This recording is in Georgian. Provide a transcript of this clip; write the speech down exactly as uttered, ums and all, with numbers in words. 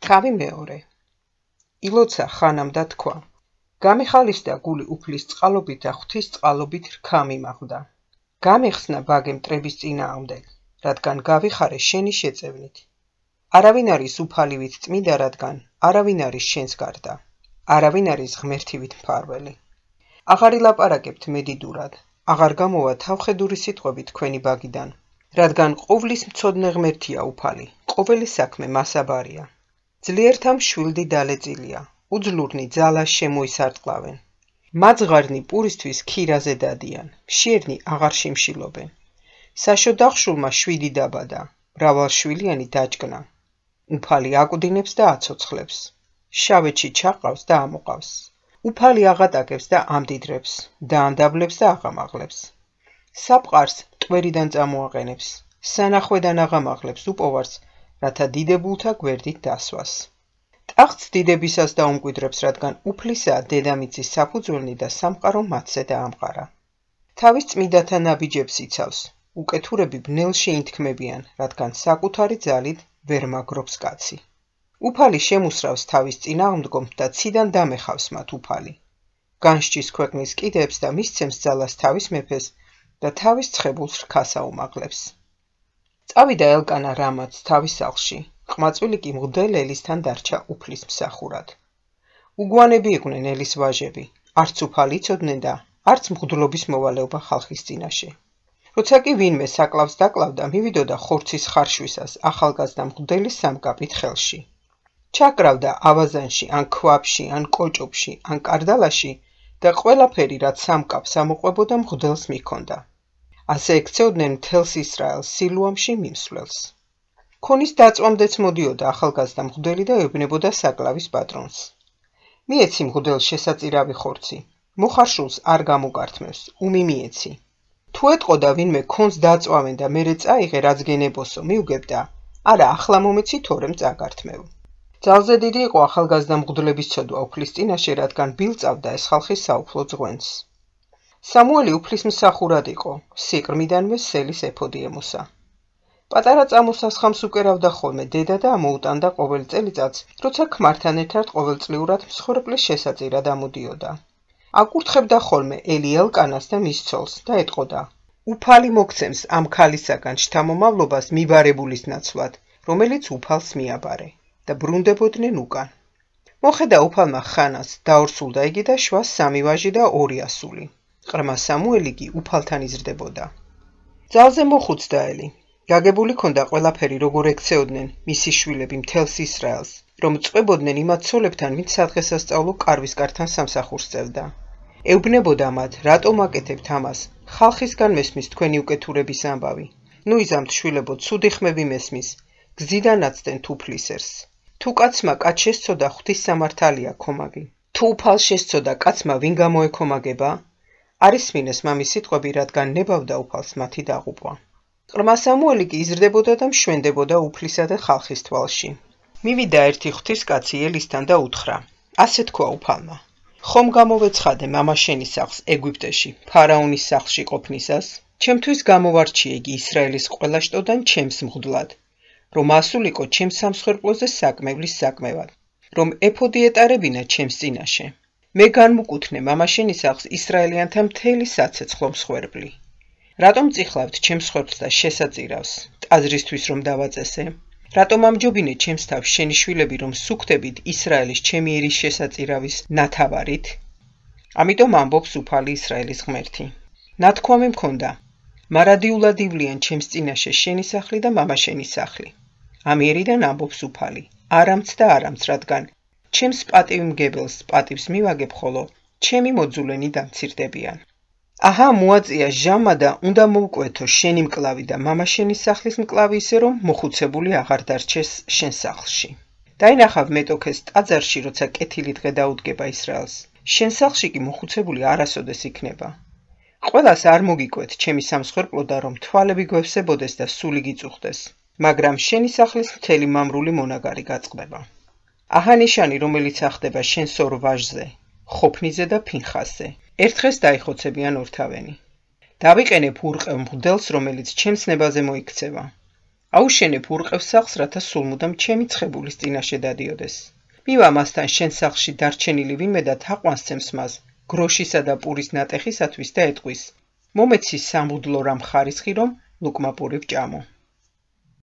თავი მეორე. ილოცა ხანამ და თქვა. გამიხალისდა გული უფლის წყალობით და ღვთის წყალობით რქა მიმახვდა. გამეხსნა ბაგე მტრების წინააღმდეგ, რადგან გავიხარე შენი შეწევნით. არავინ არის უფალივით წმიდა, რადგან არავინ არის შენს გარდა. არავინ არის ღმერთივით მფარველი. აღარ ილაპარაკებთ მედიდურად, აღარ გამოვა თავხედური სიტყვები თქვენი ბაგიდან, რადგან ყოვლის მცოდნე ღმერთია უფალი, ყოველი საქმე მასაბარია. ძლიერთა მშვილდი დალეწილია, უძლურნი ძალას შემოისარტყლავენ. მაძღარნი პურისთვის ქირაზე დადიან, მშიერნი აღარ შიმშილობენ. საშოდახშულმა შვიდი დაბადა, მრავალშვილიანი დაჭკნა. უფალი აკვდინებს და აცოცხლებს. შავეთში ჩაყავს და ამოყავს. უფალი აღატაკებს და ამდიდრებს, დაანდაბლებს და აღამაღლებს. საფყარს ტყვერიდან წამოაყენებს, სანახვედან აღამაღლებს უპოვარს, რათა დიდებულთა გვერდით დასვას. ტახტს დიდებისას დაუმკვიდრებს, რადგან უფლისაა დედამიწის საფუძველნი და სამყარო მათზე დაამყარა. თავის წმიდათა ნაბიჯებს იცავს, უკეთურები ბნელში ინთქმებიან, რადგან საკუთარი ძალით ვერ მაგრობს კაცი. უფალი შემუსრავს თავის წინააღმდგომთ და ციდან დამეხავს მათ უფალი. განსჯის ქვეყნის კიდებს და მისცემს ძალას თავის მეფეს და თავის ცხებულს რქას აუმაღლებს. წავიდა ელკანა რამაც თავის სახლში, ყმაწვილი კი მღვდელ ელისთან დარჩა უფლის მსახურად. უგვანები იყვნენ ელის ვაჟები, არც უფალი იცოდნენ და არც მღვდლობის მოვალეობა ხალხის წინაშე. როცა კი ვინმე საკლავს დაკლავდა, მივიდოდა ხორცის ხარშვისას ახალგაზრდა მღვდელის სამკაპით ხელში. ჩაკრავდა ავაზანში, ან ქვაბში, ან კოჭობში, ან კარდალაში და ყველაფერი, რაც სამკაპს ამოყვებოდა, მღვდელს მიჰქონდა. ასე ექცეოდნენ მთელს ისრაელს სილუამში მიმსვლელს. ქონის დაწვამდეც მოდიოდა ახალგაზრდა მღვდელი და ეუბნებოდა საკლავის პატრონს. მიეცი მღვდელს შესაწირავი ხორცი, მოხარშულს არ გამოგართმევს, უმი მიეცი. თუ ეტყოდა ვინმე ქონს დაწვავენ და მერე წაიღე, რაც გენებოსო, მიუგებდა, არა ახლა მომეცი, თორემ წაგართმევ. ძალზე დიდი იყო ახალგაზრდა მღვდლების ცოდვა უფლის წინაშე, რადგან ბილწავდა ეს ხალხის საუფლო ძღვენს. სამუელი უფლის მსახურად იყო, სიყრმიდანვე სელის ეფოდი ემოსა. პატარა წამოსას ხამს უკერავდა ხოლმე დედა და ამოუტანდა ყოველ წელიწადს, როცა ქმართან ერთად ყოველწლიურად მსხვერპლის შესაწირად ამოდიოდა. აკურთხებდა ხოლმე ელი ელკანას და მის ცოლს და ეტყოდა: უფალი მოგცემს ამ ქალისაგან შთამომავლობას მიბარებულის ნაცვლად, რომელიც უფალს მიაბარე და ბრუნდებოდნენ უკან. მოხედა უფალმა ხანას, დაორსულდა იგი და შვა სამი ვაჟი და ორი ასული. ყრმა სამუელი კი უფალთან იზრდებოდა. ძალზე მოხუცდა ელი. გაგებული ქონდა ყველაფერი, როგორ ექცეოდნენ მისი შვილები მთელს ისრაელს, რომ წვებოდნენ იმათ ცოლებთან, ვინც სადღესასწაულო კარვისკართან სამსახურს წევდა. ეუბნებოდა მათ, რატომ აკეთებთ ამას, ხალხისგან მესმის თქვენი უკეთურების ამბავი. ნუ იზამთ შვილებო, ცუდი ხმები მესმის, გზიდან აცდენ თუფლისერს. თუ კაცმა კაც შესწოდა, ღვთის სამართალია ქომაგი. თუ უფალს შესწოდა, კაცმა ვინ გამოეკომაგება? არის მინეს მამის სიტყვები, რადგან ნებავდა უფალს მათი დაღუპვა. ყრმა სამუელი კი იზრდებოდა და მშვენდებოდა უფლისა და ხალხის თვალში. მივიდა ერთი ღვთისკაცი ელისთან და უთხრა: ასე თქვა უფალმა, ხომ გამოვეცხადე მამა შენი სახლს ეგვიპტეში, ფარაონის სახლში ყოფნისას? ჩემთვის გამოვარჩიე იგი ისრაელის ყველა შტოდან ჩემს მღვდლად, რომ ასულიყო ჩემს სამსხვერპლოზე საკმევლის საკმევად, რომ ეფოდი ეტარებინა ჩემს წინაშე. მე განმუკუთნე მამა შენი სახლს ისრაელიანთა მთელი საცეცხლო მსხვერპლი. რატომ წიხლავთ ჩემს მსხვერპლს და შესაწირავს, ტაძრისთვის რომ დავაწესე? რატომ ამჯობინე ჩემს თავს შენი შვილები, რომ სუქდებით ისრაელის ჩემი ერის შესაწირავის ნათავარით? ამიტომ ამბობს უფალი ისრაელის ღმერთი. ნათქვამი მქონდა, მარადიულად ივლიან ჩემს წინაშე შენი სახლი და მამა შენი სახლი. ამიერიდან ამბობს უფალი, არამც და არამც, რადგან ჩემს პატივმგებელს პატივს მივაგებ, ხოლო ჩემი მოძულენი დამცირდებიან. აჰა, მოაწია ჟამა და უნდა მოვკვეთო შენი მკლავი და მამა შენი სახლის მკლავი, ისე რომ მოხუცებული აღარ დარჩეს შენ სახლში. დაინახავ მეტოქეს ტაძარში, როცა კეთილი დღე დაუდგება ისრაელს. შენ სახლში კი მოხუცებული არასოდეს იქნება. ყველას არ მოგიკვეთ ჩემი სამსხვერპლო, რომ თვალები გვევსებოდეს და სული გიწუხდეს, მაგრამ შენი სახლის მთელი მამრული მონაგარი გაწყდება. აჰა ნიშანი, რომელიც ახდება შენს ორ ვაჟზე, ხოფნიზე და ფინხასზე. ერთ დღეს დაიხოცებიან ორთავენი. დავიყენებ ურყევ მღვდელს, რომელიც ჩემს ნებაზე მოიქცევა. აუშენებ ურყევს სახლს, რათა სულ მუდამ ჩემი ცხებულის წინაშე დადიოდეს. მივა მასთან შენ სახლში დარჩენილი ვინმე და თაყვანს მას, გროშისა და პურის ნატეხისათვის და ეტყვის: მომეცი სამუდლო რამ ხარისხი, რომ ლუკმა პური ვჭამო.